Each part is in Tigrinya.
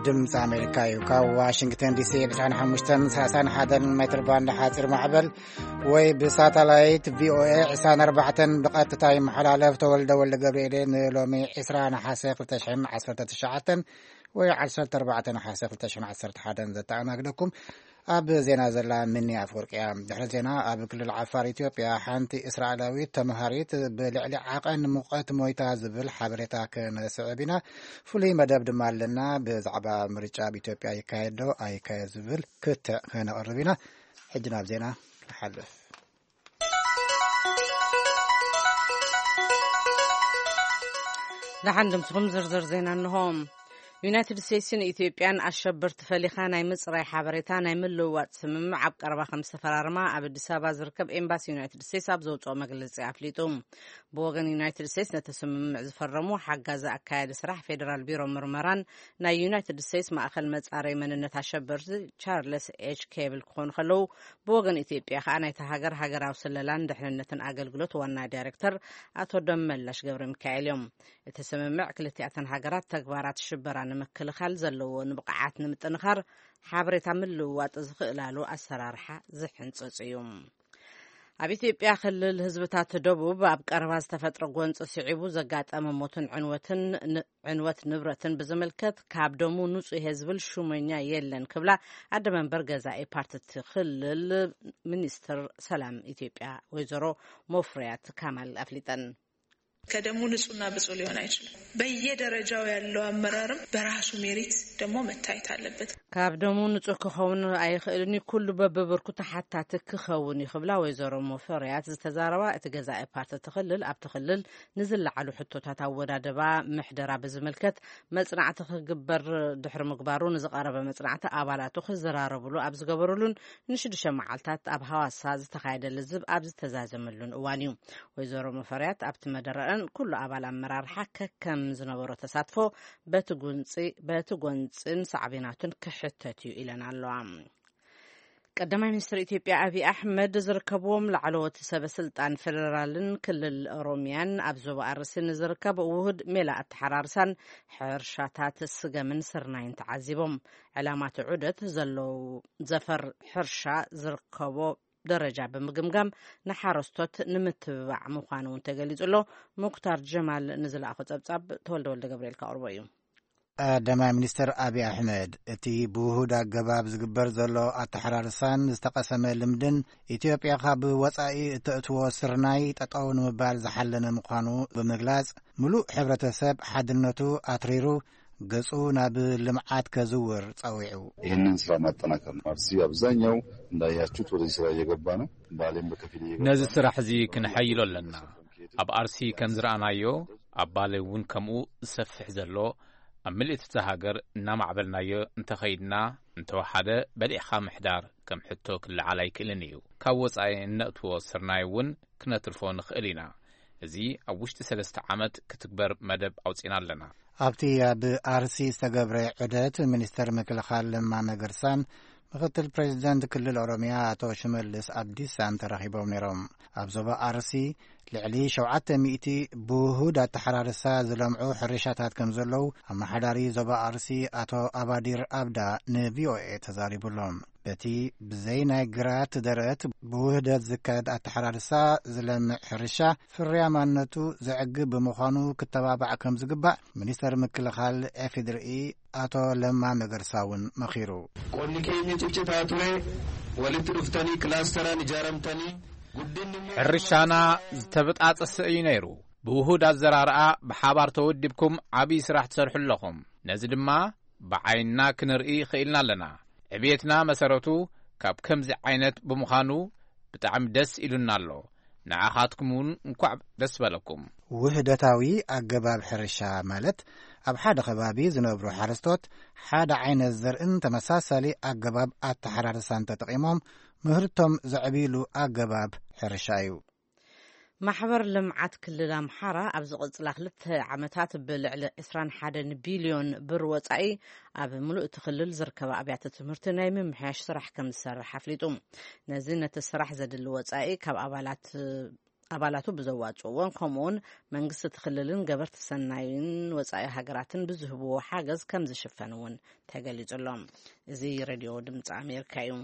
ድምፂ ኣሜሪካ እዩ። ካብ ዋሽንግተን ዲሲ ብ ዕስራን ሓሙሽተን ሰላሳን ሓደን ሜትር ባንድ ሓፂር ማዕበል ወይ ብሳተላይት ቪኦኤ ዕስራን ኣርባዕተን ብቐጥታ ይመሓላለፍ። ተወልደ ወልደ ገብርኤል። ንሎሚ ዕስራ ነሓሰ ክልተ ሽሕን ዓሰርተ ትሽዓተን ወይ ዓሰርተ ኣርባዕተ ነሓሰ ክልተ ሽሕን ዓሰርተ ሓደን ዘተኣናግደኩም ኣብ ዜና ዘላ ምኒ ኣፍወርቂ እያ። ድሕሪ ዜና፣ ኣብ ክልል ዓፋር ኢትዮጵያ ሓንቲ እስራኤላዊት ተምሃሪት ብልዕሊ ዓቐን ሙቐት ሞይታ ዝብል ሓበሬታ ክነስዕብ ኢና። ፍሉይ መደብ ድማ ኣለና። ብዛዕባ ምርጫ ኣብ ኢትዮጵያ ይካየድ ዶ ኣይካየድ ዝብል ክትዕ ክነቕርብ ኢና። ሕጂ ናብ ዜና ንሓልፍ። ደሓን ድምፅኹም። ዝርዝር ዜና እንሆ። ዩናይትድ ስቴትስን ኢትዮጵያን ኣሸበርቲ ፈሊኻ ናይ ምፅራይ ሓበሬታ ናይ ምልውዋጥ ስምምዕ ኣብ ቀረባ ከም ዝተፈራረማ ኣብ ኣዲስ ኣበባ ዝርከብ ኤምባሲ ዩናይትድ ስቴትስ ኣብ ዘውፅኦ መግለፂ ኣፍሊጡ። ብወገን ዩናይትድ ስቴትስ ነቲ ስምምዕ ዝፈረሙ ሓጋዚ ኣካያዲ ስራሕ ፌዴራል ቢሮ ምርመራን ናይ ዩናይትድ ስቴትስ ማእኸል መፃረይ መንነት ኣሸበርቲ ቻርለስ ኤች ኬብል ክኾኑ ከለዉ፣ ብወገን ኢትዮጵያ ከዓ ናይታ ሃገር ሃገራዊ ስለላን ድሕንነትን ኣገልግሎት ዋና ዳይሬክተር ኣቶ ደመላሽ ገብረ ሚካኤል እዮም። እቲ ስምምዕ ክልቲኣተን ሃገራት ተግባራት ሽበራ ንምክልኻል ዘለዎ ንብቕዓት ንምጥንኻር ሓበሬታ ምልውዋጥ ዝኽእላሉ ኣሰራርሓ ዝሕንፅፅ እዩ። ኣብ ኢትዮጵያ ክልል ህዝብታት ደቡብ ኣብ ቀረባ ዝተፈጥረ ጎንፂ ስዒቡ ዘጋጠመ ሞትን ዕንወትን ን- ዕንወት ንብረትን ብዝምልከት ካብ ደሙ ንፁህ እየ ዝብል ሹመኛ የለን ክብላ ኣደ መንበር ገዛኢ ፓርቲ እቲ ክልል ሚኒስትር ሰላም ኢትዮጵያ ወይዘሮ ሞፍሪያት ካማል ኣፍሊጠን። ከደሙ ንጹህና ብጹህ ሊሆን አይችልም። በየደረጃው ያለው አመራርም በራሱ ሜሪት ደግሞ መታየት አለበት። ካብ ደሙ ንጹህ ክኸውን ኣይኽእልን እዩ። ኩሉ በብብርኩ ተሓታቲ ክኸውን እዩ ክብላ ወይዘሮ ሙፈሪያት ዝተዛረባ፣ እቲ ገዛኢ ፓርቲ እቲ ክልል ኣብቲ ክልል ንዝለዓሉ ሕቶታት ኣወዳድባ ምሕደራ ብዝምልከት መጽናዕቲ ክግበር ድሕሪ ምግባሩ፣ ንዝቐረበ መጽናዕቲ ኣባላቱ ክዘራረብሉ ኣብ ዝገበሩሉን ንሽዱሽተ መዓልታት ኣብ ሃዋሳ ዝተኻየደ ልዝብ ኣብ ዝተዛዘመሉን እዋን እዩ። ወይዘሮ ሙፈሪያት ኣብቲ መደረአን ኩሉ ኣባል ኣመራርሓ ከከም ዝነበሮ ተሳትፎ በቲ ጎንጽን ሳዕቤናቱን ክሕተት እዩ ኢለን ኣለዋ። ቀዳማይ ሚኒስትር ኢትዮጵያ ኣብይ ኣሕመድ ዝርከብዎም ላዕለዎት ሰበ ስልጣን ፌደራልን ክልል ኦሮሚያን ኣብ ዞባ ኣርሲ ንዝርከብ ውሁድ ሜላ ኣተሓራርሳን ሕርሻታት ስገምን ስርናይን ተዓዚቦም። ዕላማ እቲ ዑደት ዘለዉ ዘፈር ሕርሻ ዝርከቦ ደረጃ ብምግምጋም ንሓረስቶት ንምትብባዕ ምዃኑ እውን ተገሊጹ ኣሎ። ሙክታር ጀማል ንዝለኣኾ ጸብጻብ ተወልደ ወልደ ገብርኤል ካቕርቦ እዩ። ቀዳማይ ሚኒስትር ኣብይ ኣሕመድ፣ እቲ ብውሁድ ኣገባብ ዝግበር ዘሎ ኣተሓራርሳን ዝተቐሰመ ልምድን፣ ኢትዮጵያ ካብ ወጻኢ እተእትዎ ስርናይ ጠጠው ንምባል ዝሓለነ ምዃኑ ብምግላጽ፣ ምሉእ ሕብረተሰብ ሓድነቱ ኣትሪሩ ገጹ ናብ ልምዓት ከዝውር ጸዊዑ። ይህንን ስራ ማጠናከር ነው። አርሲ አብዛኛው እንዳያችሁት ወደዚህ ስራ እየገባ ነው። ባሌም በከፊል እየገባ ነዚ ነው። ስራሕ እዚ ክንሐይሎ ኣለና። ኣብ ኣርሲ ከም ዝረኣናዮ፣ ኣብ ባሌ እውን ከምኡ ዝሰፍሕ ዘሎ፣ ኣብ ምልእቲ እታ ሃገር እናማዕበልናዮ እንተኸይድና፣ እንተወሓደ በሊዕኻ ምሕዳር ከም ሕቶ ክለዓል ኣይክእልን እዩ። ካብ ወጻኢ እነእትዎ ስርናይ እውን ክነትርፎ ንኽእል ኢና። እዚ ኣብ ውሽጢ ሰለስተ ዓመት ክትግበር መደብ ኣውጺና ኣለና። ኣብቲ ኣብ ኣርሲ ዝተገብረ ዑደት፣ ሚኒስተር ምክልኻል ለማ መገርሳን ምክትል ፕሬዚደንት ክልል ኦሮሚያ ኣቶ ሽመልስ ኣብዲሳን ተራኺቦም ነይሮም። ኣብ ዞባ ኣርሲ ልዕሊ ሸውዓተ ሚእቲ ብውሁድ ኣተሓራርሳ ዝለምዑ ሕርሻታት ከም ዘለዉ ኣመሓዳሪ ዞባ ኣርሲ ኣቶ ኣባዲር ኣብዳ ንቪኦኤ ተዛሪቡሎም። በቲ ብዘይ ናይ ግራት ደረት ብውህደት ዝካየድ ኣተሓራርሳ ዝለምዕ ሕርሻ ፍርያማነቱ ዘዕግብ ብምዃኑ ክተባባዕ ከም ዝግባእ ሚኒስተር ምክልኻል ኤፊድርኢ ኣቶ ለማ መገርሳ እውን መኺሩ። Qonni keenya ciccitaa ture, walitti dhuftanii kilaasteraan ijaaramtanii guddinni ሕርሻና ዝተበጣጠሰ እዩ ነይሩ። ብውሁድ ኣዘራርኣ ብሓባር ተወዲብኩም ዓብዪ ስራሕ ትሰርሑ ኣለኹም። ነዚ ድማ ብዓይንና ክንርኢ ኽኢልና ኣለና። ዕብየትና መሰረቱ ካብ ከምዚ ዓይነት ብምዃኑ ብጣዕሚ ደስ ኢሉና ኣሎ። ንዓኻትኩም እውን እንኳዕ ደስ በለኩም። ውህደታዊ ኣገባብ ሕርሻ ማለት ኣብ ሓደ ከባቢ ዝነብሩ ሓረስቶት ሓደ ዓይነት ዘርእን ተመሳሳሊ ኣገባብ ኣተሓራርሳን ተጠቒሞም ምህርቶም ዘዕብይሉ ኣገባብ ሕርሻ እዩ። ማሕበር ልምዓት ክልል ኣምሓራ ኣብ ዝቕጽላ ክልተ ዓመታት ብልዕሊ ዕስራን ሓደን ቢልዮን ብር ወጻኢ ኣብ ምሉእ እቲ ክልል ዝርከባ ኣብያተ ትምህርቲ ናይ ምምሕያሽ ስራሕ ከም ዝሰርሕ ኣፍሊጡ። ነዚ ነቲ ስራሕ ዘድሊ ወጻኢ ካብ ኣባላት ኣባላቱ ብዘዋፅእዎን ከምኡውን መንግስቲ እቲ ክልልን ገበርቲ ሰናይን ወፃኢ ሃገራትን ብዝህብዎ ሓገዝ ከም ዝሽፈን እውን ተገሊጹ ኣሎ። እዚ ሬድዮ ድምፂ ኣሜሪካ እዩ።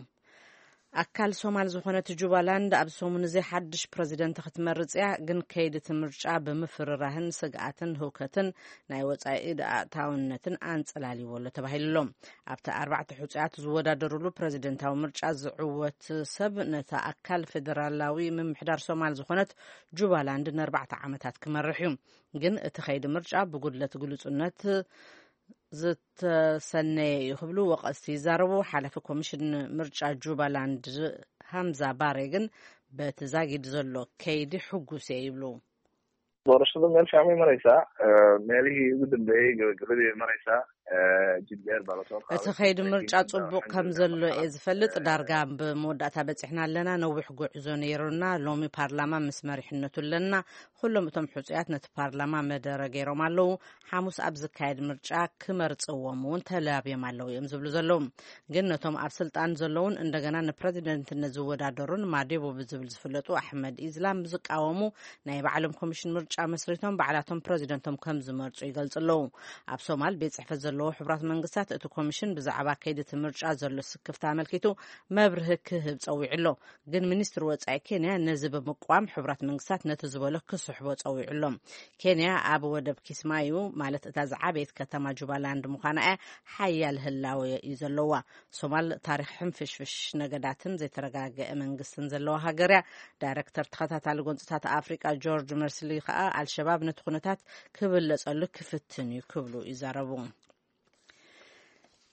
ኣካል ሶማል ዝኾነት ጁባላንድ ኣብ ሰሙን እዚ ሓድሽ ፕረዚደንት ክትመርጽ እያ፣ ግን ከይዲ እቲ ምርጫ ብምፍርራህን ስግኣትን ህውከትን ናይ ወጻኢ ኣእታውነትን ኣንጸላልይዎ ኣሎ ተባሂሉ ኣሎ። ኣብቲ ኣርባዕተ ሕጹያት ዝወዳደሩሉ ፕረዚደንታዊ ምርጫ ዝዕወት ሰብ ነታ ኣካል ፌደራላዊ ምምሕዳር ሶማል ዝኾነት ጁባላንድ ንኣርባዕተ ዓመታት ክመርሕ እዩ። ግን እቲ ከይዲ ምርጫ ብጉድለት ግሉጽነት ዝተሰነየ እዩ ክብሉ ወቀስቲ ይዛረቡ። ሓላፊ ኮሚሽን ምርጫ ጁባላንድ ሃምዛ ባሬ ግን በቲ ዛጊድ ዘሎ ከይዲ ሕጉስ እየ ይብሉ። Doorashada meel fiican bay maraysaa. Meelihii ugu dambeeyey gabagabadii bay maraysaa. Jid dheer baa lasoo qaaday. እቲ ከይዲ ምርጫ ጽቡቕ ከም ዘሎ እየ ዝፈልጥ። ዳርጋ ብመወዳእታ በጺሕና ኣለና። ነዊሕ ጉዕዞ ነይሩና። ሎሚ ፓርላማ ምስ መሪሕነቱ ኣለና። ኩሎም እቶም ሕጹያት ነቲ ፓርላማ መደረ ገይሮም ኣለዉ። ሓሙስ ኣብ ዝካየድ ምርጫ ክመርጽዎም እውን ተላብዮም ኣለዉ እዮም ዝብሉ ዘለዉ። ግን ነቶም ኣብ ስልጣን ዘለውን እንደገና ንፕረዚደንትነት ዝወዳደሩን ማዴቦ ብዝብል ዝፍለጡ ኣሕመድ ኢዝላም ዝቃወሙ ናይ ባዕሎም ኮሚሽን ምርጫ መስሪቶም ባዕላቶም ፕረዚደንቶም ከም ዝመርጹ ይገልጹ ኣለዉ። ኣብ ሶማል ቤት ጽሕፈት ዘለዎ ሕቡራት መንግስታት እቲ ኮሚሽን ብዛዕባ ከይዲ እቲ ምርጫ ዘሎ ስክፍታ ኣመልኪቱ መብርሂ ክህብ ጸዊዑ ኣሎ። ግን ሚኒስትሪ ወጻኢ ኬንያ ነዚ ብምቅዋም ሕቡራት መንግስታት ነቲ ዝበሎ ክስሕቦ ጸዊዑ ኣሎ። ኬንያ ኣብ ወደብ ኪስማዩ ማለት እታ ዝዓበየት ከተማ ጁባላንድ ምዃና እያ ሓያል ህላወ እዩ ዘለዋ። ሶማል ታሪኽ ሕንፍሽፍሽ ነገዳትን ዘይተረጋገአ መንግስትን ዘለዋ ሃገር እያ። ዳይረክተር ተኸታታሊ ጎንፅታት ኣፍሪቃ ጆርጅ መርስሊ ከኣ ኣልሸባብ ነቲ ኩነታት ክብለጸሉ ክፍትን እዩ ክብሉ ይዛረቡ።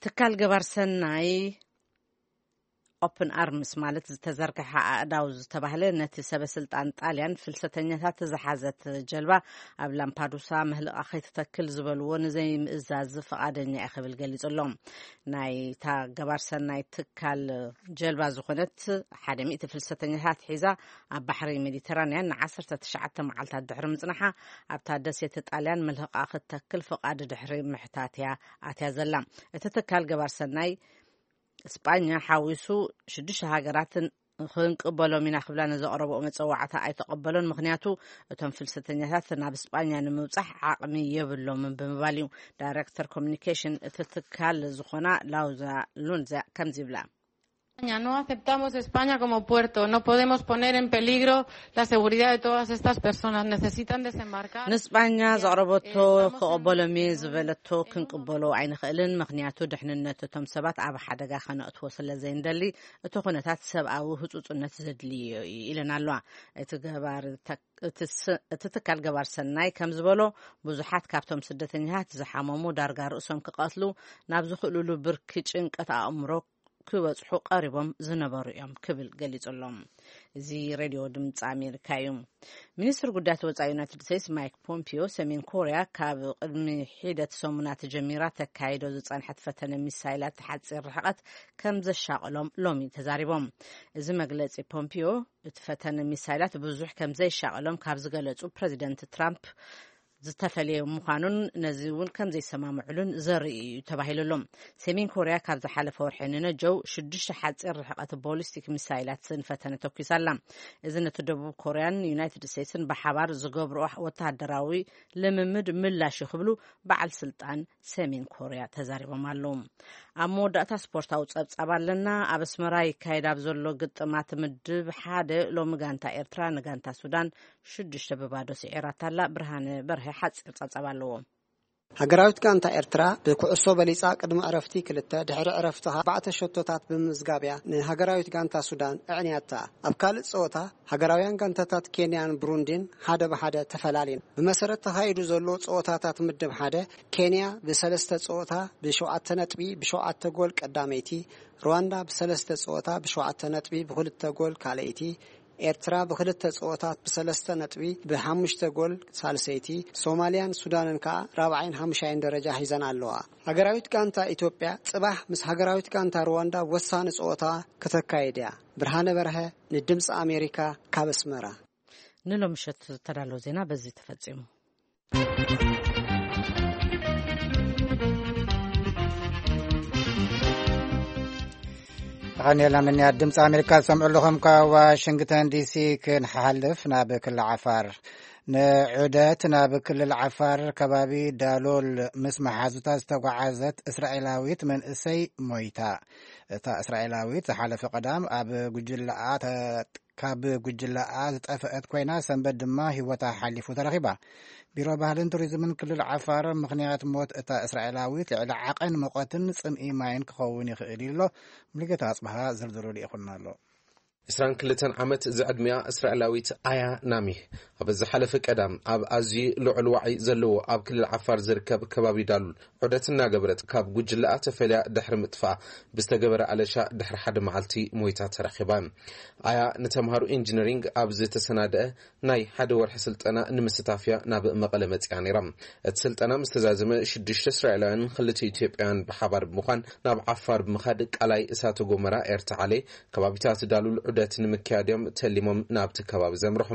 ትካል ገባር ሰናይ ኦፕን ኣርምስ ማለት ዝተዘርግሐ ኣእዳው ዝተባህለ ነቲ ሰበ ስልጣን ጣልያን ፍልሰተኛታት ዝሓዘት ጀልባ ኣብ ላምፓዱሳ ምህልቓ ከይትተክል ዝበልዎ ንዘይምእዛዝ ፍቓደኛ እየ ክብል ገሊጹ ኣሎ። ናይታ ገባር ሰናይ ትካል ጀልባ ዝኾነት ሓደ ሚእቲ ፍልሰተኛታት ሒዛ ኣብ ባሕሪ ሜዲተራንያን ንዓሰርተ ትሽዓተ መዓልታት ድሕሪ ምጽናሓ ኣብታ ደሴት ጣልያን ምህልቓ ክትተክል ፍቓድ ድሕሪ ምሕታት እያ ኣትያ ዘላ። እቲ ትካል ገባር ሰናይ ስጳኛ ሓዊሱ ሽዱሽተ ሃገራት ክንቅበሎም ኢና ክብላ ንዘቕረብኦ መጸዋዕታ ኣይተቐበሎን። ምኽንያቱ እቶም ፍልሰተኛታት ናብ ስጳኛ ንምብጻሕ ዓቕሚ የብሎምን ብምባል እዩ። ዳይረክተር ኮሚኒኬሽን እቲ ትካል ዝኾና ላውዛ ሉንዛ ከምዚ ይብላ። España, no aceptamos España como puerto, no podemos poner en peligro la seguridad de todas estas personas, necesitan desembarcar. ንስጳኛ ዘቕረበቶ ክቕበሎም እየ ዝበለቶ ክንቅበሎ ኣይንኽእልን፣ ምኽንያቱ ድሕንነት እቶም ሰባት ኣብ ሓደጋ ከነእትዎ ስለ ዘይንደሊ እቲ ኩነታት ሰብኣዊ ህጹጽነት ዘድልዮ እዩ ኢለን ኣለዋ። እቲ ገባር እቲ ትካል ገባር ሰናይ ከም ዝበሎ ብዙሓት ካብቶም ስደተኛታት ዝሓመሙ ዳርጋ ርእሶም ክቐትሉ ናብ ዝኽእልሉ ብርኪ ጭንቀት ኣእምሮ ክበጽሑ ቀሪቦም ዝነበሩ እዮም ክብል ገሊጹ ኣሎ። እዚ ሬድዮ ድምፂ ኣሜሪካ እዩ። ሚኒስትር ጉዳያት ወፃኢ ዩናይትድ ስቴትስ ማይክ ፖምፒዮ ሰሜን ኮርያ ካብ ቅድሚ ሒደት ሰሙናት ጀሚራ ተካይዶ ዝፀንሐት ፈተነ ሚሳይላት ሓፂር ርሕቀት ከም ዘሻቐሎም ሎሚ ተዛሪቦም። እዚ መግለፂ ፖምፒዮ እቲ ፈተነ ሚሳይላት ብዙሕ ከም ዘይሻቐሎም ካብ ዝገለፁ ፕረዚደንት ትራምፕ ዝተፈለየ ምዃኑን ነዚ እውን ከም ዘይሰማምዕሉን ዘርኢ እዩ ተባሂሉ ኣሎ። ሰሜን ኮርያ ካብ ዝሓለፈ ወርሒ ንነጀው ሽዱሽተ ሓፂር ርሕቀት ቦሊስቲክ ሚሳይላት ዝፈተነ ተኩሳ ኣላ። እዚ ነቲ ደቡብ ኮርያን ዩናይትድ ስቴትስን ብሓባር ዝገብርኦ ወተሃደራዊ ልምምድ ምላሽ እዩ ክብሉ በዓል ስልጣን ሰሜን ኮርያ ተዛሪቦም ኣለዉ። ኣብ መወዳእታ ስፖርታዊ ጸብጻብ ኣለና። ኣብ ኣስመራ ይካየድ ኣብ ዘሎ ግጥማት ምድብ ሓደ ሎሚ ጋንታ ኤርትራ ንጋንታ ሱዳን ሽዱሽተ ብባዶ ስዒራታ ኣላ። ብርሃነ በርሀ ሓጺር ጸብጻብ ኣለዎ። ሃገራዊት ጋንታ ኤርትራ ብኩዕሶ በሊጻ ቅድሚ ዕረፍቲ ክልተ ድሕሪ ዕረፍቲ ኣርባዕተ ሸቶታት ብምምዝጋብ እያ ንሃገራዊት ጋንታ ሱዳን ኣዕንያታ። ኣብ ካልእ ጸወታ ሃገራውያን ጋንታታት ኬንያን ብሩንዲን ሓደ ብሓደ ተፈላልየን። ብመሰረት ተኻይዱ ዘሎ ጸወታታት ምድብ ሓደ ኬንያ ብሰለስተ ጸወታ ብሸውዓተ ነጥቢ ብሸውዓተ ጎል ቀዳመይቲ፣ ሩዋንዳ ብሰለስተ ጸወታ ብሸውዓተ ነጥቢ ብኽልተ ጎል ካልኣይቲ፣ ኤርትራ ብኽልተ ጸወታት ብሰለስተ ነጥቢ ብሓሙሽተ ጎል ሳልሰይቲ፣ ሶማልያን ሱዳንን ከኣ ራብዓይን ሓሙሻይን ደረጃ ሒዘን ኣለዋ። ሃገራዊት ጋንታ ኢትዮጵያ ጽባሕ ምስ ሃገራዊት ጋንታ ሩዋንዳ ወሳኒ ጸወታ ከተካይድ እያ። ብርሃነ በርሀ ንድምጺ ኣሜሪካ ካብ ኣስመራ። ንሎምሸት ዝተዳለወ ዜና በዚ ተፈጺሙ። ተቐኒልና ምንያት ድምፂ ኣሜሪካ ዝሰምዑ ኣለኹም። ካብ ዋሽንግተን ዲሲ ክንሓልፍ ናብ ክልል ዓፋር። ንዑደት ናብ ክልል ዓፋር ከባቢ ዳሎል ምስ መሓዙታ ዝተጓዓዘት እስራኤላዊት መንእሰይ ሞይታ። እታ እስራኤላዊት ዝሓለፈ ቀዳም ኣብ ጉጅለኣ ተ-፣ ካብ ጉጅለኣ ዝጠፍአት ኮይና፣ ሰንበት ድማ ህይወታ ሓሊፉ ተረኺባ። ቢሮ ባህልን ቱሪዝምን ክልል ዓፋር፣ ምኽንያት ሞት እታ እስራኤላዊት ልዕሊ ዓቐን ሙቐትን ጽምኢ ማይን ክኸውን ይኽእል ኢሉ ኣሎ። ሙሉጌታ ኣጽብሃ ዝርዝሩ ልኢኹልና ኣሎ። ዕስራን ክልተን ዓመት ዝዕድሚኣ እስራኤላዊት ኣያ ናሚህ፣ ኣብ ዝሓለፈ ቀዳም ኣብ ኣዝዩ ልዑል ዋዒ ዘለዎ ኣብ ክልል ዓፋር ዝርከብ ከባቢ ዳሉል ዑደት እናገበረት ካብ ጉጅለኣ ተፈልያ ድሕሪ ምጥፋኣ ብዝተገበረ ኣለሻ ድሕሪ ሓደ መዓልቲ ሞይታ ተረኺባ። ኣያ ንተምሃሮ ኢንጂነሪንግ ኣብ ዝተሰናደአ ናይ ሓደ ወርሒ ስልጠና ንምስታፍ እያ ናብ መቐለ መጺኣ ነይራ። እቲ ስልጠና ምስ ተዛዘመ፣ ሽዱሽተ እስራኤላውያንን ክልተ ኢትዮጵያውያን ብሓባር ብምዃን ናብ ዓፋር ብምኻድ ቃላይ እሳተ ጎመራ ኤርታዓሌ ከባቢታት ዳሉል ዑደት ንምክያድ እዮም ተሊሞም ናብቲ ከባቢ ዘምርሑ።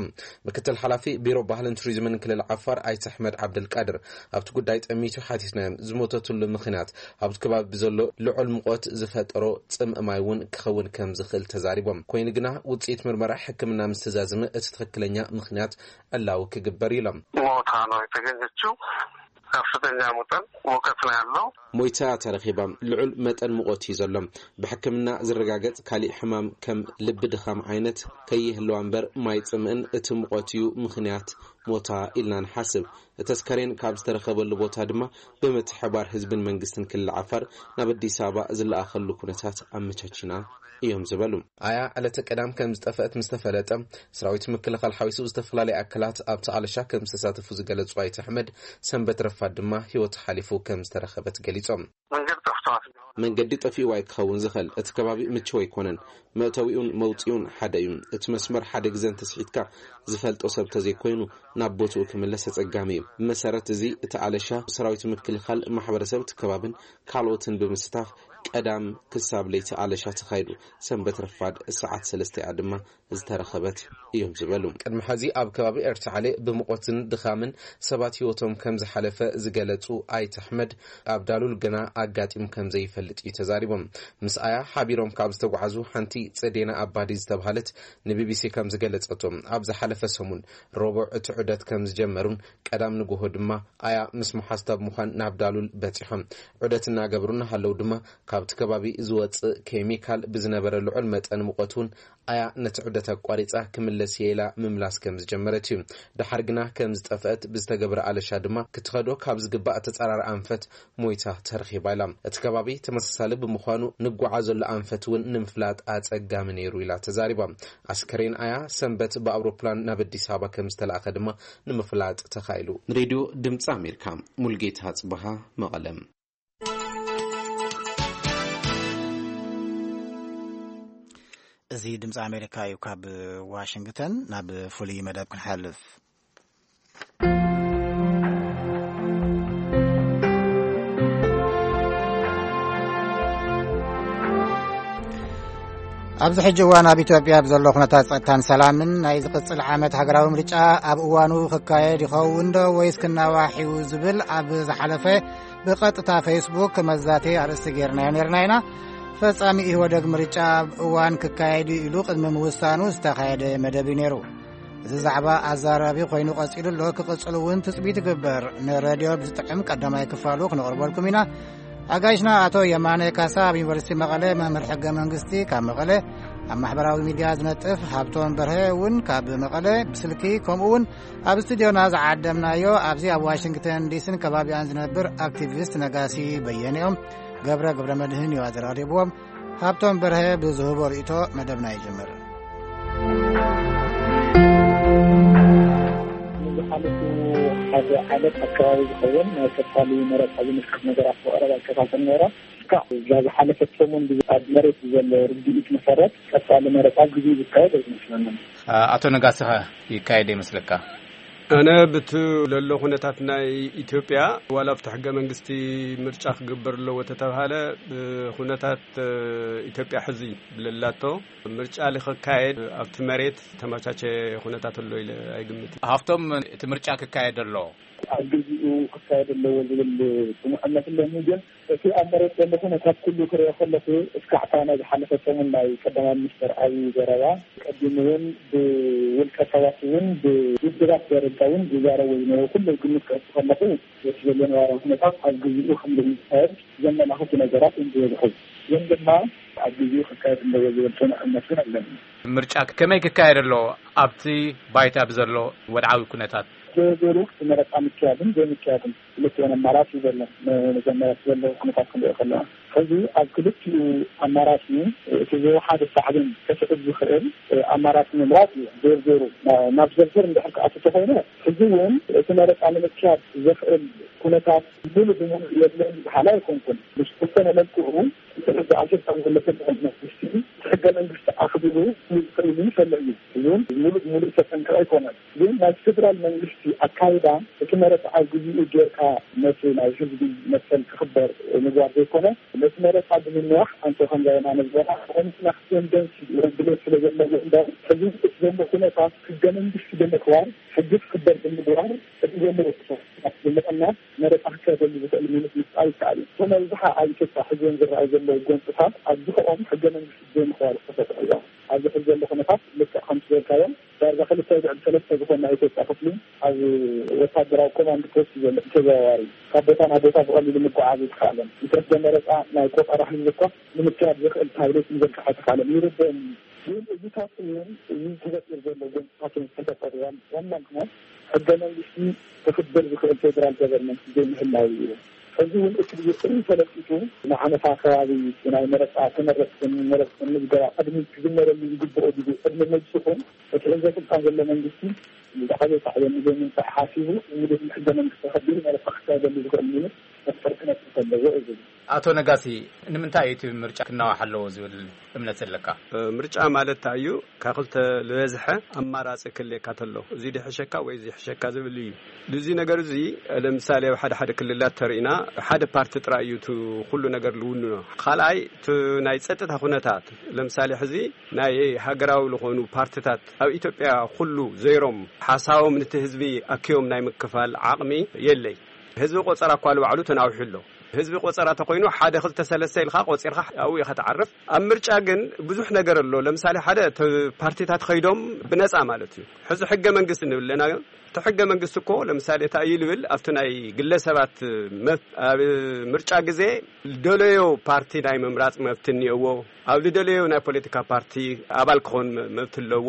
ምክትል ሓላፊ ቢሮ ባህልን ቱሪዝምን ክልል ዓፋር ኣይተ ኣሕመድ ዓብደልቃድር፣ ኣብቲ ጉዳይ ጠሚቱ ሓቲትናዮም። ዝሞተትሉ ምኽንያት ኣብቲ ከባቢ ብዘሎ ልዑል ሙቐት ዝፈጠሮ ጽምእ ማይ እውን ክኸውን ከም ዝኽእል ተዛሪቦም። ኮይኑ ግና ውጽኢት ምርመራ ሕክምና ምስ ተዛዘመ እቲ ትኽክለኛ ምኽንያት ዕላዊ ክግበር ኢሎም። ሞታ ነው የተገኘችው። ከፍተኛ ሙቀት፣ ሙቀት ነው ያለው። ሞይታ ተረኺባ። ልዑል መጠን ሙቐት እዩ ዘሎ። ብሕክምና ዝረጋገጽ ካሊእ ሕማም ከም ልቢ ድኻም ዓይነት ከይህልዋ እምበር ማይ ጽምእን እቲ ሙቐት እዩ ምኽንያት ሞታ ኢልና ንሓስብ። እቲ ኣስከሬን ካብ ዝተረኸበሉ ቦታ ድማ ብምትሕባር ህዝብን መንግስትን ክልል ዓፋር ናብ ኣዲስ ኣበባ ዝለኣኸሉ ኩነታት ኣመቻቺና እዮም ዝበሉ። ኣያ ዕለተ ቀዳም ከም ዝጠፍአት ምስ ተፈለጠ፣ ሰራዊት ምክልኻል ሓዊሱ ዝተፈላለዩ ኣካላት ኣብቲ ኣለሻ ከም ዝተሳተፉ ዝገለጹ ኣይተ ኣሕመድ፣ ሰንበት ረፋድ ድማ ህይወቱ ሓሊፉ ከም ዝተረኸበት ገሊጾም። መንገድ ጠፍተዋል። መንገዲ ጠፊእዋ ክኸውን ዝኽእል፣ እቲ ከባቢ ምችው ኣይኮነን። መእተዊኡን መውፅኡን ሓደ እዩ። እቲ መስመር ሓደ ግዘ እንተስሒትካ ዝፈልጦ ሰብ ተዘይኮይኑ ናብ ቦትኡ ክምለስ ኣፀጋሚ እዩ። ብመሰረት እዚ እቲ ኣለሻ ሰራዊት ምክልኻል ማሕበረሰብ እቲ ከባብን ካልኦትን ብምስታፍ ቀዳም ክሳብ ለይቲ ኣለሻ ተኻይዱ። ሰንበት ረፋድ ሰዓት ሰለስተ እያ ድማ ዝተረኸበት እዮም ዝበሉ። ቅድሚ ሕዚ ኣብ ከባቢ ኤርታሌ ብሙቐትን ድኻምን ሰባት ህይወቶም ከም ዝሓለፈ ዝገለጹ ኣይተ ኣሕመድ፣ ኣብ ዳሉል ግና ኣጋጢሙ ከም ዘይፈልጥ እዩ ተዛሪቦም። ምስ ኣያ ሓቢሮም ካብ ዝተጓዓዙ ሓንቲ ጽዴና ኣባዲ ዝተባሃለት ንቢቢሲ ከም ዝገለጸቶ፣ ኣብ ዝሓለፈ ሰሙን ረቡዕ እቲ ዑደት ከም ዝጀመሩን ቀዳም ንግሆ ድማ ኣያ ምስ መሓዝታ ብምዃን ናብ ዳሉል በጺሖም። ዑደት እናገበሩ እናሃለዉ ድማ ካብቲ ከባቢ ዝወጽእ ኬሚካል ብዝነበረ ልዑል መጠን ሙቐት እውን ኣያ ነቲ ዑደት ኣቋሪጻ ክምለስ እየ ኢላ ምምላስ ከም ዝጀመረት እዩ። ደሓር ግና ከም ዝጠፍአት ብዝተገብረ ኣለሻ ድማ ክትኸዶ ካብ ዝግባእ ተጻራሪ ኣንፈት ሞይታ ተረኺባ ኢላ። እቲ ከባቢ ተመሳሳሊ ብምዃኑ ንጓዓዘሉ ኣንፈት እውን ንምፍላጥ ኣጸጋሚ ነይሩ ኢላ ተዛሪባ። ኣስከሬን ኣያ ሰንበት ብኣውሮፕላን ናብ ኣዲስ ኣበባ ከም ዝተላእኸ ድማ ንምፍላጥ ተኻኢሉ። ንሬድዮ ድምፂ ኣሜሪካ ሙልጌታ ጽበሃ መቐለም። እዚ ድምፂ ኣሜሪካ እዩ። ካብ ዋሽንግተን ናብ ፍሉይ መደብ ክንሓልፍ። ኣብዚ ሕጂ እዋን ኣብ ኢትዮጵያ ብዘሎ ኩነታት ጸጥታን ሰላምን ናይ ዝቕጽል ዓመት ሃገራዊ ምርጫ ኣብ እዋኑ ክካየድ ይኸውን ዶ ወይስ ክናዋሕ እዩ ዝብል ኣብ ዝሓለፈ ብቐጥታ ፌስቡክ መዛተዪ ኣርእስቲ ጌርናዮ ኔርና ኢና። ፈጻሚ ኢህወደግ ምርጫ ኣብ እዋን ክካየድ እዩ ኢሉ ቅድሚ ምውሳኑ ዝተኻየደ መደብ እዩ ነይሩ። እዚ ዛዕባ ኣዛራቢ ኮይኑ ቀጺሉ ኣሎ፣ ክቕጽል እውን ትጽቢት ይግበር። ንሬድዮ ብዝጥዕም ቀዳማይ ክፋሉ ክነቕርበልኩም ኢና። ኣጋይሽና ኣቶ የማነ ካሳ ኣብ ዩኒቨርሲቲ መቐለ መምህር ሕገ መንግስቲ ካብ መቐለ፣ ኣብ ማሕበራዊ ሚድያ ዝነጥፍ ሃብቶም በርሀ እውን ካብ መቐለ ብስልኪ፣ ከምኡ እውን ኣብ ስቱዲዮና ዝዓደምናዮ ኣብዚ ኣብ ዋሽንግተን ዲሲን ከባቢኣን ዝነብር ኣክቲቪስት ነጋሲ በየነ እዮም። ገብረ ገብረ መድህን እዩ ኣዘራሪብዎም። ሃብቶም በርሀ ብዝህቦ ርእይቶ መደብና ይጅምር። ንዝሓለፉ ሓደ ዓመት ኣካባቢ ዝኸውን ናይ ቀጻሊ መረጻ ዝምልከት ነገራት ብቐረባ ይከታተል ነይረ። እስካዕ እዛ ዝሓለፈት ሰሙን ኣብ መሬት ዘሎ ርድኢት መሰረት ቀጻሊ መረጻ ግዜ ዝካየድ ኣይመስለንን። ኣቶ ነጋሲ ኸ ይካየድ ይመስለካ? ኣነ ብቲ ለሎ ኩነታት ናይ ኢትዮጵያ ዋላ ኣብቲ ሕገ መንግስቲ ምርጫ ክግበር ኣለዎ ተተብሃለ፣ ብኩነታት ኢትዮጵያ ሕዚ ብለላቶ ምርጫ ልክካየድ ኣብቲ መሬት ተመቻቸ ኩነታት ኣሎ ኢለ ኣይግምትን። ሃብቶም እቲ ምርጫ ክካየድ ኣሎ ኣብ ግዜኡ ክካየድ ኣለዎ ዝብል ጽኑዕ እምነት ኣለኒ። ግን እቲ ኣብ መሬት ዘሎ ኩነታት ኩሉ ክሪኦ ከለኹ፣ እስካዕ እታ ናይ ዝሓለፈ ሰሙን ናይ ቀዳማይ ሚኒስተር ኣብይ ዘረባ፣ ቀዲሙ እውን ብውልቀ ሰባት እውን ብውድባት ደረጃ እውን ዝዛረቡ ዝነበሩ ኩሉ ግምት ከእቱ ከለኹ፣ እቲ ዘሎ ነባራዊ ኩነታት ኣብ ግዜኡ ከም ዝካየድ ዘመላኽቱ ነገራት እዮም ዝበዝሑ። ግን ድማ ኣብ ግዜኡ ክካየድ ኣለዎ ዝብል ጽኑዕ እምነት እውን ኣለኒ። ምርጫ ከመይ ክካየድ ኣለዎ ኣብቲ ባይታ ብዘሎ ወድዓዊ ኩነታት? ዝርዝሩ እቲ መረጻ ምክያድን ዘይምክያድን ክልቲኦን ኣማራጺ ዘሎ። መጀመርያ ዘሎ ኩነታት ክንሪኦ ከለና፣ ሕዚ ኣብ ክልቲኡ ኣማራጺ እቲ ዝወሓደ ሳዕቤን ከስዕብ ዝኽእል ኣማራጺ ምምራጽ እዩ። ዝርዝሩ ናብ ዝርዝር እንድሕር ክኣቱ ተኾይነ፣ ሕዚ እውን እቲ መረጻ ንምክያድ ዘኽእል ኩነታት ሙሉ ብሙሉ የለን በሃሊ ኣይኮንኩን። ብዝተወሰነ መልክዑ እቲ ሕዚ ኣብ ስልጣን ዘሎ መንግስቲ እቲ ሕገ መንግስቲ ኣኽቢሩ ዝኽእል ይፈለ እዩ። እዚ እውን ሙሉ ብሙሉ ዝተጠንቀቐ ኣይኮነን። ግን ናይ ፌደራል መንግስቲ ኣካይዳ፣ እቲ መረፃ ኣብ ግዜኡ ጌርካ ነቲ ናይ ህዝቢ መሰል ክኽበር ምግባር ዘይኮነ፣ ነቲ መረፃ ብምንዋሕ፣ ኣንቶ ከምዛ የማነ ዝበላ ኮንስና ደንሲ ወይ ድሌት ስለ ዘለዎ እምበር፣ ሕዚ እቲ ዘሎ ኩነታት ሕገ መንግስቲ ብምኽባር፣ ሕጊ ክኽበር ብምግባር፣ እቲ ዘሎ ኩነታት ብምቕናስ መረፃ ክካየደሉ ዝኽእል ሚኒት ምፍጣር ይከኣል እዩ። እቶም ኣብዝሓ ኣብ ኢትዮጵያ ሕዚ እውን ዝረኣዩ ዘለዉ ጎንፅታት ኣብዝኸኦም ሕገ መንግስቲ ዘይምኽባር ዝተፈጥሩ እዮም። ኣብዚ ሕዚ ዘሎ ኩነታት ልክዕ ከምቲ ዝበልካዮም ዳርጋ ክልተ ድዕድ ሰለስተ ዝኾን ናይ ኢትዮጵያ ክፍሊ ኣብ ወታደራዊ ኮማንድ ፖስት ዘሎ ተዘዋዋሪ ካብ ቦታ ናብ ቦታ ብቐሊሉ ምጉዓዝ ኣይተኻእለን። እንተደ መረፃ ናይ ቆጠራ ህዝቢ እኳ ንምክያድ ዘኽእል ታብሌት ምዘርጋሕ ኣይተኻእለን። ይርደአኒ እዩ። ግን እዚታት እውን እዚ ተፈጢሩ ዘሎ ጎንፅታት ተፈጠሩ ዋና ምኽንያት ሕገ መንግስቲ ክኽበር ዝኽእል ፌደራል ገቨርንመንት ዘይምህላው እዩ። ሕዚ እውን እቲ ብዝፅሪ ተለጢጡ ንዓመታ ከባቢ ናይ መረፃ ተመረፅትን መረፅትን ምዝገባ ቅድሚ ክጅመረሉ ዝግብኦ ግዜ ቅድሚ ምብፅሑ እቲ ሕዚ ስልጣን ዘሎ መንግስቲ ብዛዕባ ሳዕቤን ዘይምንሳእ ሓሲቡ ውድብ ሕገ መንግስቲ ከቢሩ መረፃ ክካየደሉ ዝኽእል ሚኒት መፍጠር ክነጥፍ ኣለዎ እዩ ዝብል። ኣቶ ነጋሲ፣ ንምንታይ እዩ እቲ ምርጫ ክናዋሕ ኣለዎ ዝብል እምነት ዘለካ? ምርጫ ማለት እንታይ እዩ? ካብ ክልተ ዝበዝሐ ኣማራፂ ክልየካ ተሎ፣ እዚ ድሕሸካ ወይ እዚ ሕሸካ ዝብል እዩ። እዚ ነገር እዚ ለምሳሌ ኣብ ሓደ ሓደ ክልላት ተርኢና ሓደ ፓርቲ ጥራይ እዩ እቲ ኩሉ ነገር ልውንኖ። ካልኣይ እቲ ናይ ፀጥታ ኩነታት፣ ለምሳሌ ሕዚ ናይ ሃገራዊ ዝኾኑ ፓርትታት ኣብ ኢትዮጵያ ኩሉ ዘይሮም ሓሳቦም ንቲ ህዝቢ ኣክዮም ናይ ምክፋል ዓቕሚ የለይ። ህዝቢ ቆፀራ እኳ ልባዕሉ ተናዊሑ ኣሎ። ህዝቢ ቆፀራ ተኮይኑ ሓደ ክልተ ሰለስተ ኢልካ ቆፂርካ ኣብኡ ኢኻ ትዓርፍ። ኣብ ምርጫ ግን ብዙሕ ነገር ኣሎ። ለምሳሌ ሓደ ተ- ፓርቲታት ከይዶም ብነፃ ማለት እዩ። ሕዚ ሕገ መንግስቲ ንብል ኣለና። እቲ ሕገ መንግስቲ እኮ ለምሳሌ እንታይ እዩ ልብል ኣብቲ ናይ ግለሰባት መብ- ኣብ ምርጫ ግዜ ዝደለዮ ፓርቲ ናይ ምምራፅ መብት እኒኦዎ። ኣብ ዝደለዮ ናይ ፖለቲካ ፓርቲ ኣባል ክኾን መ- መብት ኣለዎ።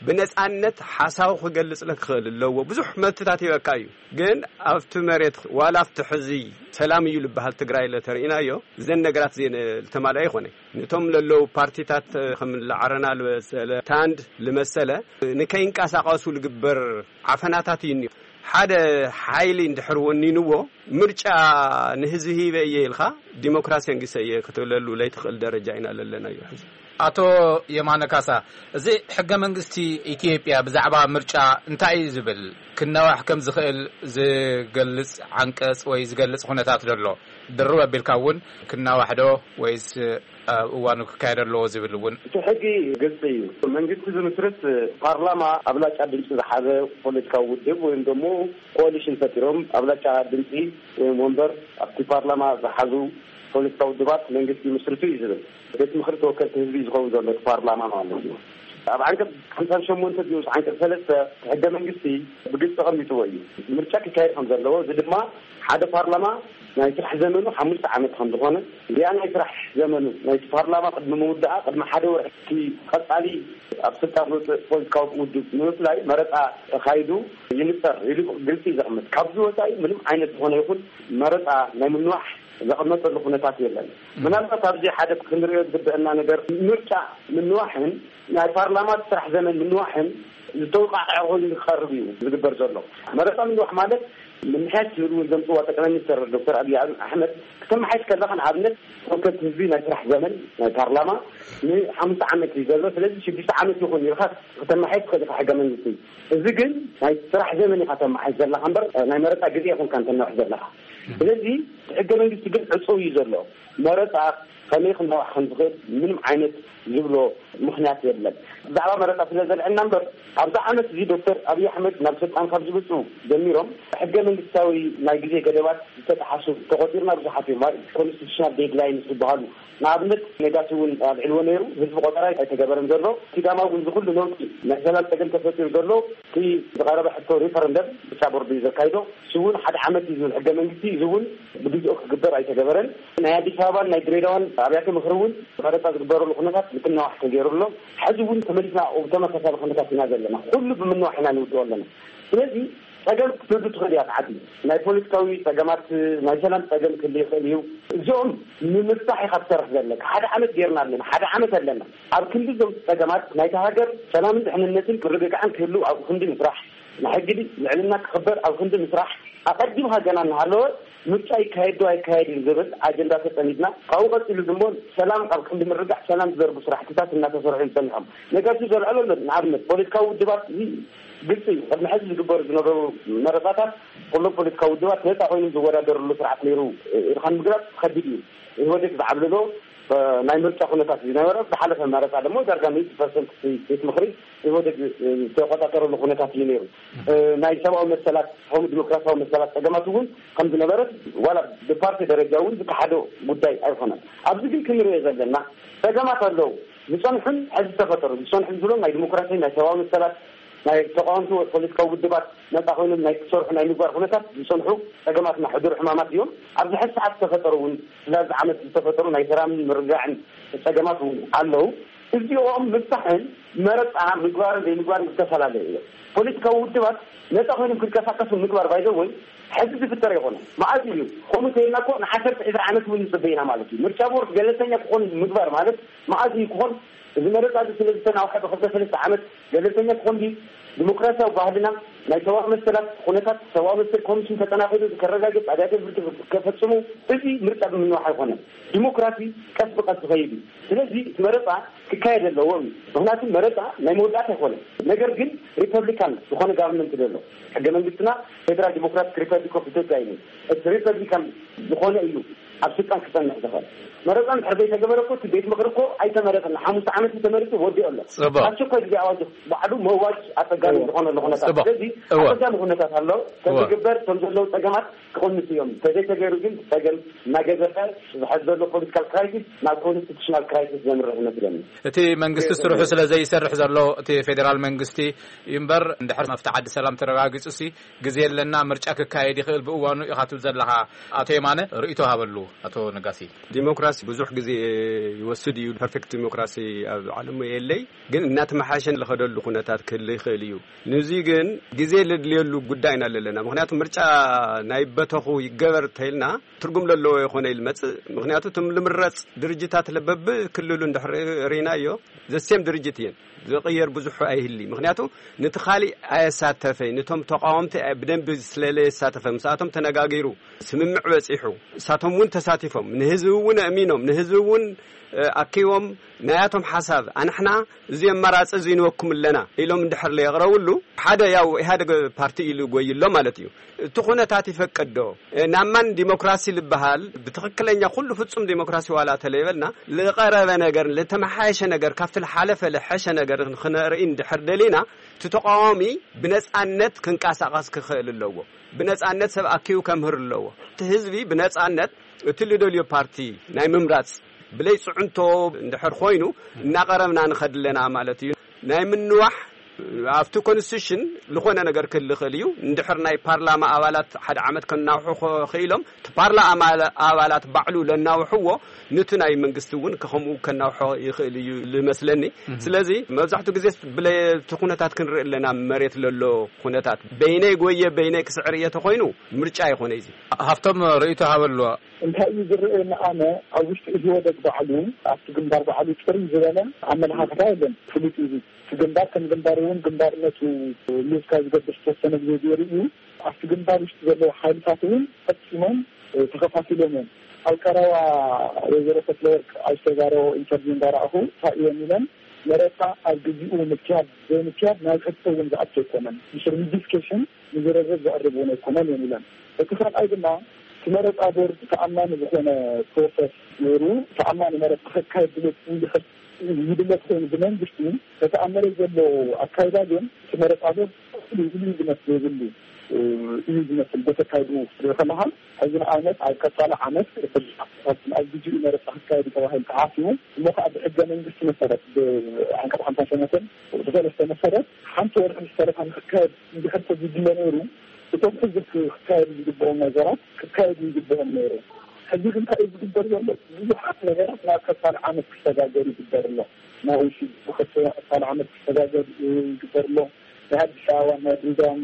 ብነፃነት ሓሳቡ ክገልፅ ክኽእል ኣለዎ። ብዙሕ መብትታት ይበካ እዩ። ግን ኣብቲ መሬት ዋላ ኣብቲ ሕዚ ሰላም እዩ ዝበሃል ትግራይ ለተርኢናዮ እዘን ነገራት እዚአን ዝተማልኣ ይኾነ። ነቶም ለለዉ ፓርቲታት ከም ለዓረና ልመሰለ ታንድ ልመሰለ ንከይንቀሳቀሱ ልግበር ዓፈናታት እዩ እኒኦ። ሓደ ሓይሊ እንድሕር ወኒንዎ ምርጫ ንህዝቢ ሂበ እየ ኢልካ ዲሞክራሲ ኣንጊሰ እየ ክትብለሉ ለይትኽእል ደረጃ ኢና ለለናዮ ሕዚ። ኣቶ የማነ ካሳ፣ እዚ ሕገ መንግስቲ ኢትዮጵያ ብዛዕባ ምርጫ እንታይ እዩ ዝብል? ክናዋሕ ከም ዝኽእል ዝገልጽ ዓንቀጽ ወይ ዝገልጽ ኩነታት ዘሎ? ድርብ ኣቢልካ እውን ክናዋሕ ዶ ወይስ ኣብ እዋኑ ክካየድ ኣለዎ ዝብል እውን? እቲ ሕጊ ግልጺ እዩ። መንግስቲ ዝምስርት ፓርላማ ኣብላጫ ድምፂ ዝሓዘ ፖለቲካዊ ውድብ ወይም ደግሞ ኮሊሽን ፈጢሮም ኣብላጫ ድምፂ ወይም ወንበር ኣብቲ ፓርላማ ዝሓዙ ፖለቲካዊ ውድባት መንግስቲ ይምስርቱ እዩ ዝብል። ቤት ምኽሪ ተወከልቲ ህዝቢ ዝኸውን ዘሎ እቲ ፓርላማ ማለት እዩ። ኣብ ዓንቀፅ ሓምሳን ሸሞንተ ንኡስ ዓንቀፅ ሰለስተ ሕገ መንግስቲ ብግልፂ ተቐሚጥዎ እዩ። ምርጫ ክካየድ ከም ዘለዎ፣ እዚ ድማ ሓደ ፓርላማ ናይ ስራሕ ዘመኑ ሓሙሽተ ዓመት ከም ዝኾነ፣ እዚኣ ናይ ስራሕ ዘመኑ ናይቲ ፓርላማ ቅድሚ ምውዳኣ ቅድሚ ሓደ ወርሒ እቲ ቀፃሊ ኣብ ስልጣን ዝወፅእ ፖለቲካዊ ውድብ ንምፍላይ መረፃ ተኻይዱ ይንፀር ኢሉ ግልፂ እዩ ዘቕምጥ። ካብዚ ወፃኢ ምንም ዓይነት ዝኾነ ይኹን መረፃ ናይ ምንዋሕ ዘቐመጠሉ ኩነታት የለን። ምናልባት ኣብዚ ሓደ ክንሪኦ ዝግበአና ነገር ምርጫ ምንዋሕን ናይ ፓርላማ ስራሕ ዘመን ምንዋሕን ዝተወቃዕዐ ኮይኑ ዝቀርብ እዩ ዝግበር ዘሎ። መረፃ ምንዋሕ ማለት ምምሕያሽ ዝብል እውን ዘምፅዋ ጠቅላይ ሚኒስትር ዶክተር ኣብይ ኣሕመድ ክተመሓይሽ ከለካ ንኣብነት ተወከልቲ ህዝቢ ናይ ስራሕ ዘመን ናይ ፓርላማ ንሓሙሽተ ዓመት እዩ ዘሎ። ስለዚ ሽዱሽተ ዓመት ይኹን ኢልካ ክተመሓይሽ ትኽእል ኢኻ ሕገ መንግስቲ። እዚ ግን ናይ ስራሕ ዘመን ኢኻ ተመሓይሽ ዘለካ እምበር ናይ መረፃ ግዜ ይኹንካ እንተነውሕ ዘለካ። ስለዚ ሕገ መንግስቲ ግን ዕፁው እዩ ዘሎ። መረፃ ከመይ ክንነዋሕ ከም ዝኽእል ምንም ዓይነት ዝብሎ ምኽንያት የለን። ብዛዕባ መረፃ ስለ ዘልዐልና እምበር፣ ኣብዚ ዓመት እዚ ዶክተር ኣብይ ኣሕመድ ናብ ስልጣን ካብ ዝመፁ ጀሚሮም ሕገ መንግስታዊ ናይ ግዜ ገደባት ዝተጠሓሱ ተቆፂርና ብዙሓት እዮም። ኮንስቲቱሽናል ዴድላይንስ ዝበሃሉ፣ ንኣብነት ነጋሲ እውን ኣልዕልዎ ነይሩ። ህዝቢ ቆጠራ ኣይተገበረን ዘሎ። ሲዳማ እውን ዝኩሉ ነውጢ ናይ ሰላም ፀገም ተፈጢሩ ዘሎ፣ እቲ ዝቐረበ ሕቶ ሪፈረንደም ምርጫ ቦርድ እዩ ዘካይዶ። እሱ እውን ሓደ ዓመት እዩ ዝብል ሕገ መንግስቲ፣ እዚ እውን ብግዜኡ ክግበር ኣይተገበረን። ናይ ኣዲስ ኣበባን ናይ ድሬዳዋን ኣብያተ ምኽሪ እውን መረፃ ዝግበረሉ ኩነታት ምትናዋሕ ተገይሩ ኣሎ። ሕዚ እውን ተመሊስና ኣብ ተመሳሳሊ ኩነታት ኢና ዘለና። ኩሉ ብምንዋሕ ኢና ንውድኦ ኣለና። ስለዚ ፀገም ክትህሉ ትኽእል እያ ዓዲ። ናይ ፖለቲካዊ ፀገማት፣ ናይ ሰላም ፀገም ክህሉ ይኽእል እዩ። እዚኦም ንምፍታሕ ኢኻ ትሰርሕ ዘለካ። ሓደ ዓመት ጌርና ኣለና፣ ሓደ ዓመት ኣለና። ኣብ ክንዲ እዞም ፀገማት ናይታ ሃገር ሰላምን ድሕንነትን ምርግጋዕን ክህሉ ኣብ ክንዲ ምስራሕ፣ ናይ ሕጊ ልዕልና ክኽበር ኣብ ክንዲ ምስራሕ፣ ኣቐዲምካ ገና እናሃለወ ምርጫ ይካየድ ዶ ኣይካየድን ዝብል ኣጀንዳ ተፀሚድና፣ ካብኡ ቀፂሉ ድማ ሰላም ኣብ ክንዲ ምርጋዕ ሰላም ዝዘርጉ ስራሕትታት እናተሰርሑ እዮም ፀኒሖም። ነገር ግን ዘልዕሎ ኣሎ። ንኣብነት ፖለቲካዊ ውድባት፣ እዚ ግልፂ እዩ። ቅድሚ ሕዚ ዝግበሩ ዝነበሩ መረፃታት ኩሎም ፖለቲካዊ ውድባት ነፃ ኮይኖም ዝወዳደርሉ ስርዓት ነይሩ ኢልካ ንምግላፅ ከቢድ እዩ። ኢህወዴግ ዝዓብለሎ ናይ ምርጫ ኩነታት ዝነበረ፣ ዝሓለፈ መረፃ ደግሞ ዳርጋ ሚእቲ ፐርሰንት ቤት ምኽሪ ኢህወዴግ ዝተቆፃፀረሉ ኩነታት እዩ ነይሩ። ናይ ሰብኣዊ መሰላት ከምኡ ዲሞክራሲያዊ መሰላት ፀገማት እውን ከም ዝነበረ ዋላ ብፓርቲ ደረጃ እውን ዝከሓዶ ጉዳይ ኣይኮነን። ኣብዚ ግን ክንሪኦ ዘለና ፀገማት ኣለዉ፣ ዝፀንሑን ሕዚ ዝተፈጠሩ ዝፀንሑ ዝብሎም ናይ ዲሞክራሲ፣ ናይ ሰብኣዊ መሰላት፣ ናይ ተቃወምቲ ወይ ፖለቲካዊ ውድባት ነፃ ኮይኖም ናይ ክሰርሑ ናይ ምግባር ኩነታት ዝፀንሑ ፀገማትና ሕዱር ሕማማት እዮም። ኣብዚ ሕዚ ሰዓት ዝተፈጠሩ እውን ስለዚ ዓመት ዝተፈጠሩ ናይ ሰላምን ምርግጋዕን ፀገማት እውን ኣለዉ። እዚኦም ምፍታሕን መረፃ ምግባርን ዘይምግባርን ዝተፈላለዩ እዮም። ፖለቲካዊ ውድባት ነፃ ኮይኖም ክንቀሳቀሱ ምግባር ባይዘ ወይ ሕዚ ዝፍጠር ይኮነ። መዓዝ እዩ ከምኡ እንተኢልና እኮ ንዓሰርተ ዕስራ ዓመት እውን ንፅበ ኢና ማለት እዩ። ምርጫ ቦርድ ገለልተኛ ክኾን ምግባር ማለት መዓዝ እዩ ክኾን? እዚ መረፃ እዚ ስለ ዝተናውሐ ብክልተ ሰለስተ ዓመት ገለልተኛ ክኾን ድዩ? ዲሞክራሲያዊ ባህልና ናይ ሰብኣዊ መሰላት ኩነታት ሰብኣዊ መሰል ኮሚሽን ተጠናኺሩ ከረጋግፅ ኣብያተ ፍርዲ ከፈፅሙ፣ እዚ ምርጫ ብምንዋሕ ኣይኮነን። ዲሞክራሲ ቀስ ብቀስ ዝኸይድ እዩ። ስለዚ እቲ መረፃ ክካየድ ኣለዎ እዩ። ምክንያቱ መረፃ ናይ መወዳእታ ኣይኮነን። ነገር ግን ሪፐብሊካን ዝኾነ ጋቨርንመንት ዘሎ ሕገ መንግስትና ፌደራል ዲሞክራቲክ ሪፐብሊክ ኦፍ ኢትዮጵያ እዩ። እቲ ሪፐብሊካን ዝኾነ እዩ ኣብ ስልጣን ክፀንሕ ዝኽእል። መረፃ እንድሕር ዘይተገበረ እኮ እቲ ቤት ምኽሪ እኮ ኣይተመረፀን። ሓሙሽተ ዓመት ተመሪፁ ወዲኡ ኣሎ። ፅቡቅ። ኣስቸኳይ ግዜ ኣዋጅ ባዕሉ መዋጅ ኣፀጋሚ ዝኾነሉ ኩነታት። ፅቡቅ። ስለዚ እወ። ኣፀጋሚ ኩነታት ኣሎ። እወ። ከምዝግበር ከም ዘለዉ ፀገማት ክቕንሱ እዮም። ተዘይተገይሩ ግን ፀገም እናገዘፈ ዝሕዝ ዘሎ ፖለቲካል ክራይሲስ ናብ ኮንስቲቱሽናል ክራይሲስ ዘምርሕ ይመስለኒ። እቲ መንግስቲ ስርሑ ስለ ዘይሰርሕ ዘሎ እቲ ፌዴራል መንግስቲ እዩ እምበር እንድሕር መፍትሒ ዓዲ ሰላም ተረጋጊፁ ሲ ግዜ ኣለና፣ ምርጫ ክካየድ ይኽእል ብእዋኑ ኢኻ ትብል ዘለኻ። ኣቶ የማነ ርእይቶ ሃበሉ። ኣቶ ነጋሲ። ዲሞክራሲ ብዙሕ ግዜ ይወስድ እዩ። ፐርፌክት ዲሞክራሲ ኣብ ዓለሙ የለይ፣ ግን እናተመሓሸ ዝኸደሉ ኩነታት ክህሉ ይኽእል እዩ። ንዚ ግን ግዜ ለድልየሉ ጉዳይ ኢና ዘለና። ምክንያቱ ምርጫ ናይ በተኹ ይገበር ተይልና ትርጉም ለለዎ ይኾነ ኢል መጽእ። ምክንያቱ እቶም ልምረጽ ድርጅታት ለበብ ክልሉ እንድሕር ርኢናዮ ዘሴም ድርጅት እየን። ዝቕየር ብዙሕ ኣይህሊ። ምክንያቱ ነቲ ካሊእ ኣየሳተፈይ፣ ነቶም ተቃወምቲ ኣይ-፣ ብደንቢ ስለለየሳተፈ፣ ምስኣቶም ተነጋጊሩ፣ ስምምዕ በጺሑ፣ እሳቶም እውን ተሳቲፎም፣ ንህዝቢ እውን ኣእሚኖም፣ ንህዝቢ እውን፣ እ፣ ኣኪቦም፣ ናያቶም ሓሳብ፣ ኣንሕና እዚ ኣማራጺ እዚ ንወኩም ኣለና ኢሎም እንድሕር ለየቕረብሉ፣ ሓደ ያው ኢህኣደግ ፓርቲ ኢሉ ጎይሎ ማለት እዩ። እቲ ኩነታት ይፈቅድ ዶ? እ፣ ናብ ማን ዲሞክራሲ ልበሃል? ብትኽክለኛ ኩሉ ፍጹም ዲሞክራሲ ዋላ ተለይበልና፣ ልቐረበ ነገር፣ ልተመሓየሸ ነገር፣ ካብቲ ልሓለፈ ልሐሸ ነገር ክንርኢ እንድሕር ደሊና፣ እቲ ተቃዋሚ ብነጻነት ክንቀሳቐስ ክኽእል ኣለዎ። ብነጻነት ሰብ ኣኪቡ ከምህር ኣለዎ። እቲ ህዝቢ ብነጻነት እቲ ልደልዮ ፓርቲ ናይ ምምራጽ ብለይ ጽዕንቶ እንድሕር ኮይኑ እናቐረብና ንኸድ ኣለና ማለት እዩ። ናይ ምንዋሕ ኣብቲ ኮንስቲቱሽን ዝኾነ ነገር ክህልኽእል እዩ። እንድሕር ናይ ፓርላማ ኣባላት ሓደ ዓመት ከናውሑ ኸ-፣ ኽኢሎም፣ እቲ ፓርላማ ኣባላት ባዕሉ ለናውሕዎ፣ ንቲ ናይ መንግስቲ እውን ከኸምኡ ከናውሖ ይኽእል እዩ ልመስለኒ። ስለዚ መብዛሕትኡ ግዜ ብለ-፣ እቲ ኩነታት ክንርኢ ኣለና፣ መሬት ለሎ ኩነታት። በይነይ ጎየ፣ በይነይ ክስዕር እየ ተኾይኑ፣ ምርጫ ይኾነ እዩ። ሃፍቶም ርእይቶ ሃበሉ። እንታይ እዩ ዝረኣየኒ ኣነ፣ ኣብ ውሽጢ ኢህወደግ ባዕሉ፣ ኣብቲ ግንባር ባዕሉ ጥርይ ዝበለ ኣመለኻኽታ የለን። ፍሉጥ እዩ። እቲ ግንባር ከም ግንባር እውን ግንባርነቱ ሉዝ ካብ ዝገብር ዝተወሰነ ግዜ ገይሩ እዩ። ኣብቲ ግንባር ውሽጢ ዘለዉ ሓይልታት እውን ፈጺሞም፣ እ፣ ተኸፋፊሎም እዮም። ኣብ ቀረባ ወይዘሮ ፈትለወርቅ ኣብ ዝተዛረቦ ኢንተርቪው እንዳረኣኹ እንታይ እዮም ኢለን፣ መረፃ ኣብ ግዜኡ ምክያድ ዘይምክያድ ናብ ሕቶ እውን ዝኣቱ ኣይኮነን። ድሕሪ ዲስከሽን ንዝርርብ ዘቕርብ እውን ኣይኮነን እዮም ኢለን። እቲ ካልኣይ ድማ እቲ መረፃ ቦርድ ተኣማኒ ዝኾነ ፕሮሰስ ገይሩ ተኣማኒ መረፃ ከካየድ ድሌት እንድሕር ይድለት ኮይኑ ብመንግስቲ፣ እቲ ኣብ መሬት ዘሎ ኣካይዳ ግን እቲ መረፃ ቦርድ ፍሉይ ዝመስል የብሉ እዩ ዝመስል። በተካይዱ ክትርኢ ከለኻ፣ ሕዚ ንኣብነት ኣብ ቀፃሊ ዓመት ኣብ ግዜኡ መረፃ ክካየድ ተባሂሉ ተሓሲቡ፣ እሞ ከዓ ብሕገ መንግስቲ መሰረት፣ ብዓንቀፅ ሓምሳ ሸሞንተን ብሰለስተ መሰረት ሓንቲ ወርሒ ዝተረፋ ንክካየድ እንድሕር ተዝድለ ነይሩ፣ እቶም ሕዚ ክካየዱ ዝግብኦም ነገራት ክካየዱ ይግብኦም ነይሩ። ሕዚ ግን እንታይ እዩ ዝግበር ዘሎ? ብዙሓት ነገራት ናብ ቀፃሊ ዓመት ክሰጋገር ይግበር ኣሎ። ናብ ውሽጢ ብኸተማ ቀፃሊ ዓመት ክሰጋገር ይግበር ኣሎ። ናይ ኣዲስ ኣበባ፣ ናይ ድሬዳዋን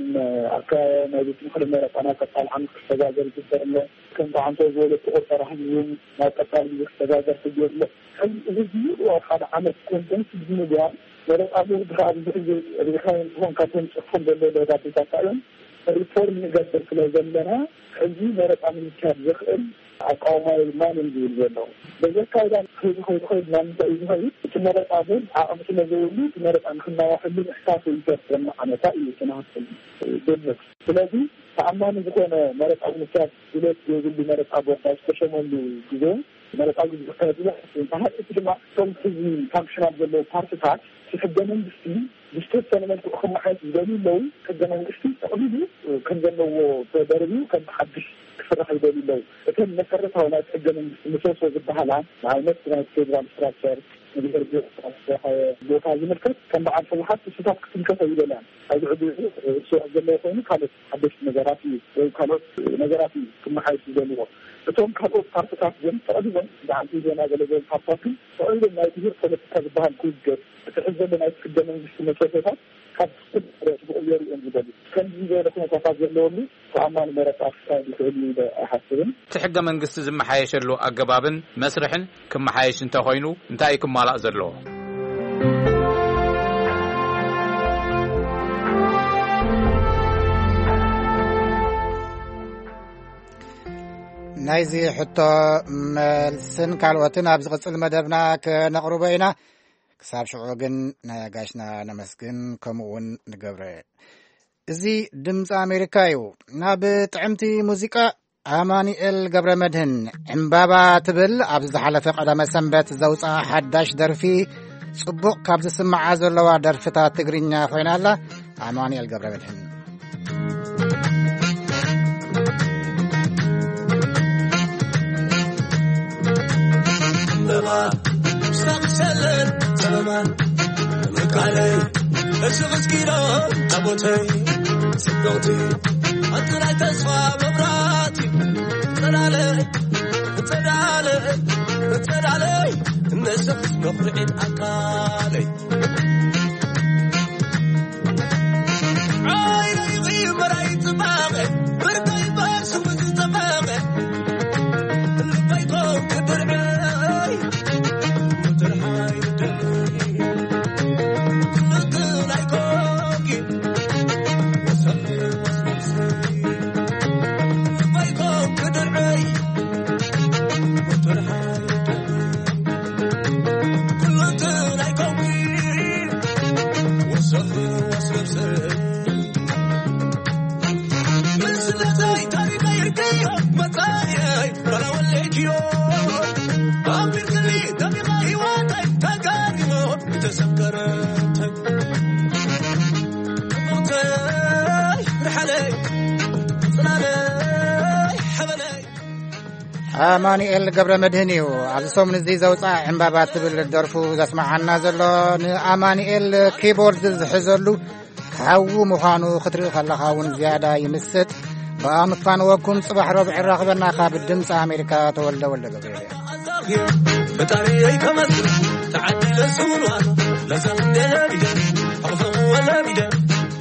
ኣከባቢ ናይ ቤት ምኽሪ መረፃ ናብ ቀፃሊ ዓመት ክሰጋገር ይግበር ኣሎ። ከም ተዓንቶ ዝበለቱ ቆፀራ ህዝቢ እውን ናብ ቀፃሊ ግዜ ክሰጋገር ተገይሩ ኣሎ። ሕዚ እዚ ዝብሉ ኣብ ሓደ ዓመት ኮንፈረንስ ብምግባር መረፃ ቦርድ ከዓ ብዙሕ ግዜ ርኢኻዮ እንትኾን ካብቶም ፅሑፎም ዘሎ ደብዳቤታት እዮም። ሪፎርም ንገብር ስለ ዘለና፣ ሕዚ መረፃ ንምክያድ ዘኽእል ኣቃውማ የብልናን እዮም ዝብል ዘለዉ። በዚ ኣካይዳ ከይዱ ከይዱ ከይዱ ናብ ምንታይ እዩ ዝኸይድ? እቲ መረፃ ቦርድ ዓቕሚ ስለ ዘይብሉ፣ እቲ መረፃ ንክናዋሐሉ ምሕታቱ ይፈርሰና ዓመታ እዩ እቲ ናህስል ግምት። ስለዚ ተኣማኒ ዝኾነ መረፃ ንምክያድ ድሌት ዘይብሉ መረፃ ቦርድ ኣብ ዝተሸመሉ ግዜ መረፃ ግዜ ዝካየድ እዩ። እንተሃ እቲ ድማ እቶም ሕዚ ፋንክሽናል ዘለዉ ፓርትታት እቲ ሕገ መንግስቲ ብዝተወሰነ መልክዑ ክመሓየሽ ዝደልዩ ኣለዉ። ሕገ መንግስቲ ጠቕሊሉ ከም ዘለዎ ተደርብዩ ከም ሓድሽ ክስራሕ ይደልዩ ኣለዉ። እተን መሰረታዊ ናይቲ ሕገ መንግስቲ ምሰሶ ዝበሃላ ንኣብነት ናይ ፌዴራል ስትራክቸር፣ ንብሄር ብሄረሰባት ቦታ ዝምልከት ከም በዓል ህወሓት ክስታት ክትምልከቶ ይደልያን። ኣብዚ ዕድል እሱ ዘለዎ ኮይኑ ካልኦት ሓደሽቲ ነገራት እዩ ወይ ካልኦት ነገራት እዩ ክመሓየሽ ዝደልዎ። እቶም ካልኦት ፓርትታት ግን ጠቕሊሎም ብዓል ኢዜማ ገለ ዝበሉ ፓርትታት ግን ጠቕሊሎም ናይ ብሄር ፖለቲካ ዝበሃል ክውገድ፣ እቲ ሕዚ ዘሎ ናይ ሕገ መንግስቲ መሰረታት ካብ ስር ክቕየሩ እዮም ዝደልዩ። ከምዚ ዝበለ ኩነታታት ዘለወሉ ተኣማኒ መረፃ ክካየድ ይኽእል እዩ ኢለ ኣይሓስብን። እቲ ሕገ መንግስቲ ዝመሓየሸሉ ኣገባብን መስርሕን ክመሓየሽ እንተኾይኑ እንታይ እዩ ክማላእ ዘለዎ? ናይዚ ሕቶ መልስን ካልኦትን ኣብ ዝቕጽል መደብና ከነቕርቦ ኢና። ክሳብ ሽዑ ግን ነጋሽና ነመስግን፣ ከምኡ እውን ንገብረ። እዚ ድምፂ ኣሜሪካ እዩ። ናብ ጥዕምቲ ሙዚቃ ኣማኑኤል ገብረ መድህን ዕምባባ ትብል ኣብ ዝሓለፈ ቀዳመ ሰንበት ዘውፅኣ ሓዳሽ ደርፊ ጽቡቕ ካብ ዝስምዓ ዘለዋ ደርፍታት ትግርኛ ኮይና ኣላ። ኣማኑኤል ገብረ መድህን። ኣማኑኤል ገብረ መድህን እዩ ኣብዚ ሰሙን እዚ ዘውፅኣ ዕምባባ ትብል ደርፉ ዘስምዓና ዘሎ። ንኣማኑኤል ኪቦርድ ዝሕዘሉ ሓዉ ምዃኑ ክትርኢ ከለኻ እውን ዝያዳ ይምስጥ። ብኣምፋንወኩም ጽባሕ ረቡዕ ይራኽበና። ካብ ድምፂ ኣሜሪካ ተወልደ ወልደ ገብርኤል። ፈጣሪየይ ከመስግን ተዓዲለ ስውንዋን ለዘምደ ለቢደ ኣቕፈዎ ለቢደ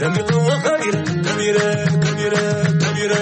ደሚቕዎ ከቢረ ከቢረ ከቢረ ከቢረ